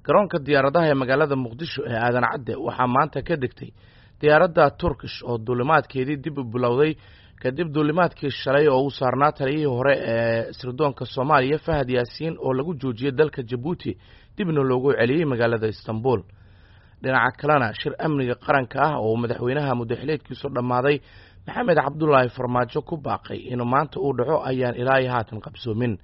Garoonka diyaaradaha ee magaalada Muqdisho ee Aadan Cadde waxaa maanta ka degtay diyaaradda Turkish oo duulimaadkeedii dib u bilowday kadib duulimaadkii shalay oo u saarnaa taliyihii hore ee sirdoonka Soomaaliya Fahad Yaasiin oo lagu joojiyey dalka Jabuuti dibna loogu celiyey magaalada Istanbul. Dhinaca kalena, shir amniga qaranka ah oo madaxweynaha muddaxileedkiisu dhammaaday Maxamed Cabdulaahi Farmaajo ku baaqay inuu maanta uu dhaco ayaan ilaa iyo haatan qabsoomin.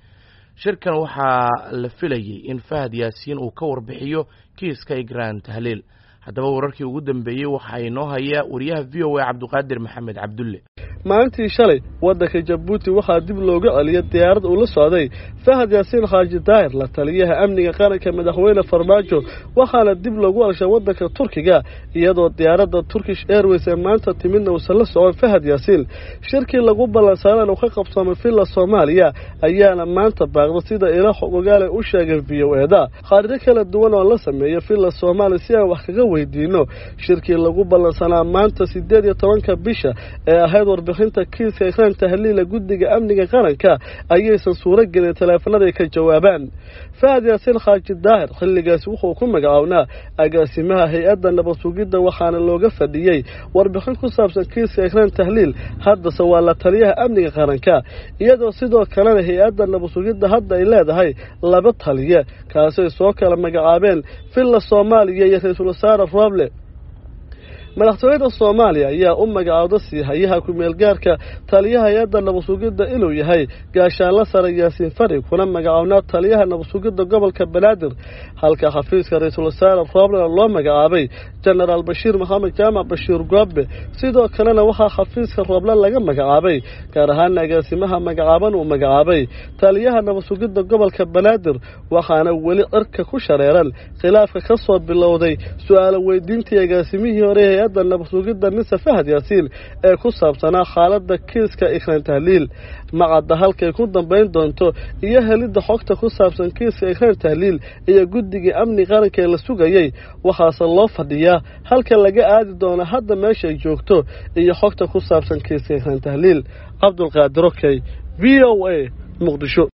Shirkan waxaa la filayey in Fahad Yaasiin uu ka warbixiyo kiiska Igraan Tahliil. Haddaba, wararkii ugu dambeeyey waxaa inoo haya wariyaha VOA Cabduqaadir Maxamed Cabdulle. Maalintii shalay waddanka Jabuuti waxaa dib looga celiyay diyaarad uu la socday Fahad Yaasiin Xaaji Daahir, la taliyaha amniga qaranka madaxweyne Farmaajo, waxaana dib loogu celshay waddanka Turkiga, iyadoo diyaaradda Turkish Airways ee maanta timidna uusan la socon Fahad Yaasiin. Shirkii lagu ballansaaraan uu ka qabsoomay Villa Soomaaliya ayaana maanta baaqda, sida ila xog ogaale u sheegay VOA-da. Khaarijo kala duwan oo la sameeyay Villa Soomaaliya si aan wax kaga weydiino shirkii lagu ballansanaa maanta 18-ka bisha ee ahayd warbixinta kiiska Ikraan Tahliila guddiga amniga qaranka ayaysan suuro gelin taleefanada ay ka jawaabaan. Fahad Yaasiin Xaaji Daahir xilligaasi wuxuu ku magacawnaa agaasimaha hay-adda nabad sugidda, waxaana looga fadhiyey warbixin ku saabsan kiiska Ikraan Tahliil. Haddase waa la taliyaha amniga qaranka, iyadoo sidoo kalena hay-adda nabad sugidda hadda ay leedahay laba taliye, kaasay soo kala magacaabeen Villa Soomaaliya iyo ra-iisul wasaare Roble. Madaxtooyada Soomaaliya ayaa u magacaawda siihayaha ku-meelgaarka taliyaha hay-adda nabadsugidda inuu yahay gaashaanla sare Yaasiin Fari, kuna magacawnaa taliyaha nabadsugidda gobolka Banaadir, halka xafiiska ra-iisul wasaare Roblena loo magacaabay Jenaraal Bashiir Maxamed Jaamac Bashiir Goobe. Sidoo kalena waxaa xafiiska Rooble laga magacaabay, gaar ahaana agaasimaha magacaaban uu magacaabay taliyaha nabadsugidda gobolka Banaadir. Waxaana weli cirka ku shareeran khilaafka ka soo bilowday su-aalo weydiintii agaasimihii hore hay-adda nabadsugidda mise Fahad Yaasiin ee ku saabsanaa xaaladda kiiska Ikraan Tahliil. Macadda halkay ku dambayn doonto iyo helidda xogta ku saabsan kiiska Ikraan Tahliil iyo guddigii amni qaranka ee la sugayey, waxaase loo fadhiyaa halka laga aadi doono hadda meesha ay joogto iyo xogta ku saabsan kiiska Ikraan Tahliil. Cabdulqaadir Okey, VOA, Muqdisho.